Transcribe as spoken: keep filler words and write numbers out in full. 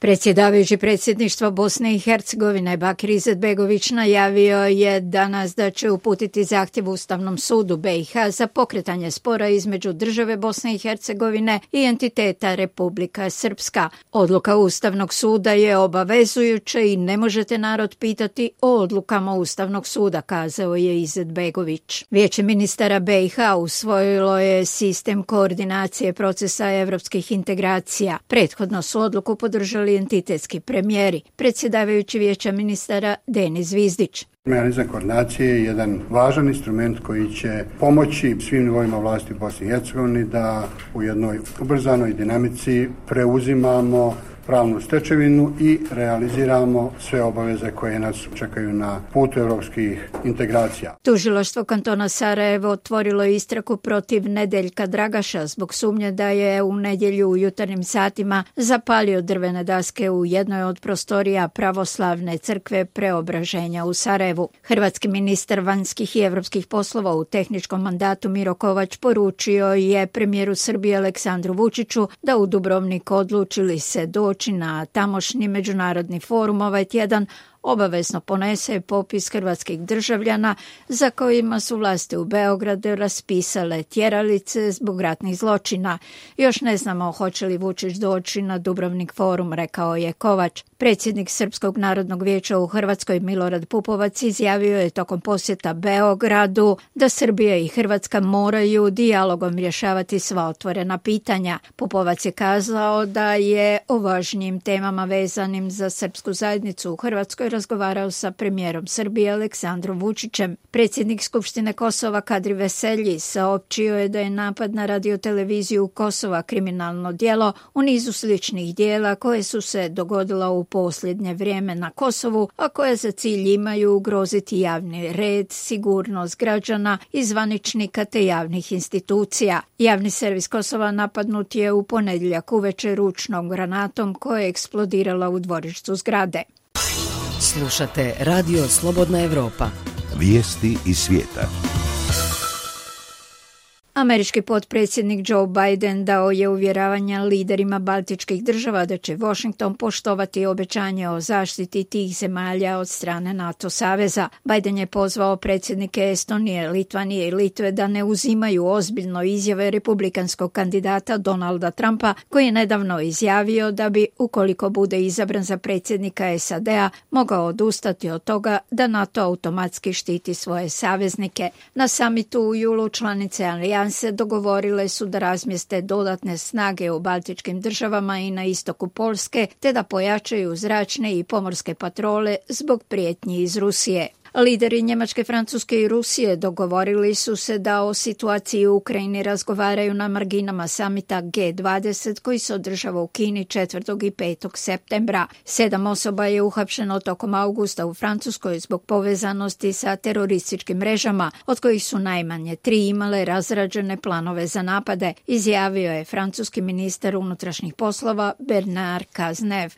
Predsjedavajući predsjedništva Bosne i Hercegovine Bakir Izetbegović najavio je danas da će uputiti zahtjev Ustavnom sudu B i H za pokretanje spora između države Bosne i Hercegovine i entiteta Republika Srpska. Odluka Ustavnog suda je obavezujuća i ne možete narod pitati o odlukama Ustavnog suda, kazao je Izetbegović. Vijeće ministara B i H usvojilo je sistem koordinacije procesa evropskih integracija. Prethodno su odluku podržali entitetski premijeri, predsjedavajući Vijeća ministara Denis Zvizdić. Mehanizam koordinacije je jedan važan instrument koji će pomoći svim nivoima vlasti u Bosni i Hercegovini da u jednoj ubrzanoj dinamici preuzimamo pravnu stečevinu i realiziramo sve obaveze koje nas čekaju na putu evropskih integracija. Tužilaštvo kantona Sarajevo otvorilo istragu protiv Nedeljka Dragaša zbog sumnje da je u nedjelju u jutarnjim satima zapalio drvene daske u jednoj od prostorija pravoslavne crkve Preobraženja u Sarajevu. Hrvatski ministar vanjskih i evropskih poslova u tehničkom mandatu Miro Kovač poručio je premijeru Srbije Aleksandru Vučiću da u Dubrovnik odlučili se doći na tamošnji međunarodni forum ovaj tjedan obavezno ponese popis hrvatskih državljana za kojima su vlasti u Beogradu raspisale tjeralice zbog ratnih zločina. Još ne znamo hoće li Vučić doći na Dubrovnik forum, rekao je Kovač. Predsjednik Srpskog narodnog vijeća u Hrvatskoj Milorad Pupovac izjavio je tokom posjeta Beogradu da Srbija i Hrvatska moraju dijalogom rješavati sva otvorena pitanja. Pupovac je kazao da je o važnijim temama vezanim za srpsku zajednicu u Hrvatskoj razgovarao sa premijerom Srbije Aleksandrom Vučićem. Predsjednik Skupštine Kosova Kadri Veselji saopćio je da je napad na radioteleviziju Kosova kriminalno djelo u nizu sličnih djela koje su se dogodila u posljednje vrijeme na Kosovu, a koje za cilj imaju ugroziti javni red, sigurnost građana i zvaničnika te javnih institucija. Javni servis Kosova napadnut je u ponedjeljak uveče ručnom granatom koja je eksplodirala u dvorištu zgrade. Slušate Radio Slobodna Evropa. Vijesti iz svijeta. Američki potpredsjednik Joe Biden dao je uvjeravanja liderima baltičkih država da će Washington poštovati obećanje o zaštiti tih zemalja od strane NATO saveza. Biden je pozvao predsjednike Estonije, Litvanije i Litve da ne uzimaju ozbiljno izjave republikanskog kandidata Donalda Trumpa, koji je nedavno izjavio da bi, ukoliko bude izabran za predsjednika S A D-a, mogao odustati od toga da NATO automatski štiti svoje saveznike. Na samitu u julu članice Alijanse se dogovorile su da razmjeste dodatne snage u baltičkim državama i na istoku Poljske, te da pojačaju zračne i pomorske patrole zbog prijetnji iz Rusije. Lideri Njemačke, Francuske i Rusije dogovorili su se da o situaciji u Ukrajini razgovaraju na marginama samita G dvadeset koji se održava u Kini četvrtog i petog septembra. Sedam osoba je uhapšeno tokom augusta u Francuskoj zbog povezanosti sa terorističkim mrežama, od kojih su najmanje tri imale razrađene planove za napade, izjavio je francuski ministar unutrašnjih poslova Bernard Cazeneuve.